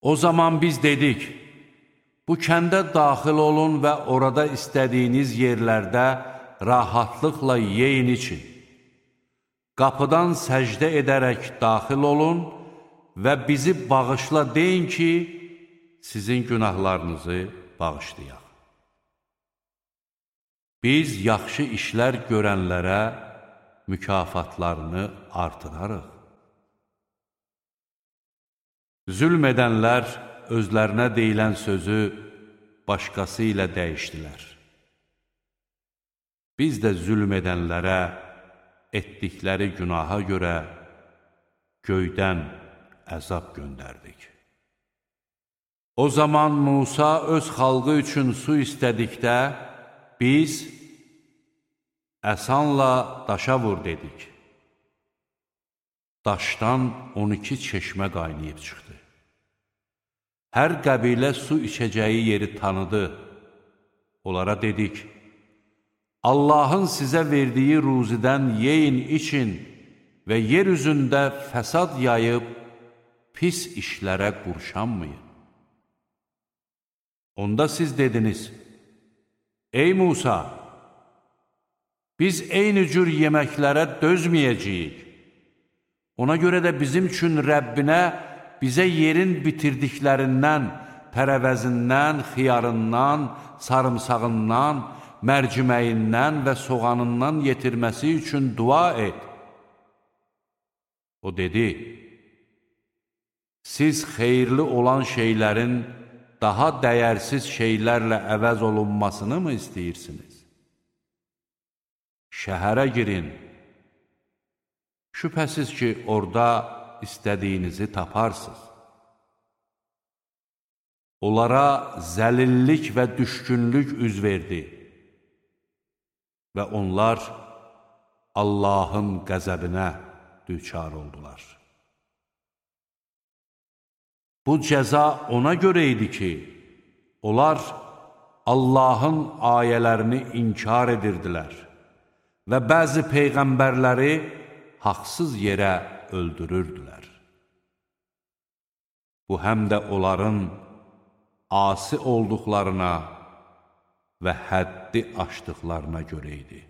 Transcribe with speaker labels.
Speaker 1: O zaman biz dedik, bu kəndə daxil olun və orada istədiyiniz yerlərdə rahatlıqla yeyin için. Qapıdan səcdə edərək daxil olun və bizi bağışla deyin ki, sizin günahlarınızı bağışlayaq. Biz yaxşı işlər görənlərə mükafatlarını artırarıq. Zülm edənlər özlərinə deyilən sözü başqası ilə dəyişdilər. Biz də zülm edənlərə etdikləri günaha görə göydən əzab göndərdik. O zaman Musa öz xalqı üçün su istədikdə, biz əsanla daşa vur dedik. Daşdan 12 çeşmə qaynayıb çıxdı. Hər qəbilə su içəcəyi yeri tanıdı. Onlara dedik, Allahın sizə verdiyi ruzidən yeyin için və yer üzündə fəsad yayıb pis işlərə qurşanmayın. Onda siz dediniz, ey Musa, biz eyni cür yeməklərə dözməyəcəyik. Ona görə də bizim üçün Rəbbinə bizə yerin bitirdiklərindən, tərəvəzindən, xiyarından, sarımsağından, mərciməyindən və soğanından yetirməsi üçün dua et. O dedi, siz xeyirli olan şeylərin daha dəyərsiz şeylərlə əvəz olunmasını mı istəyirsiniz? Şəhərə girin. Şübhəsiz ki, orada istədiyinizi taparsınız. Onlara zəlillik və düşkünlük üz verdi və onlar Allahın qəzəbinə düçar oldular. Bu cəza ona görə idi ki, onlar Allahın ayələrini inkar edirdilər və bəzi peyğəmbərləri haqsız yerə öldürürdülər. Bu həm də onların asi olduqlarına və həddi aşdıqlarına görə idi.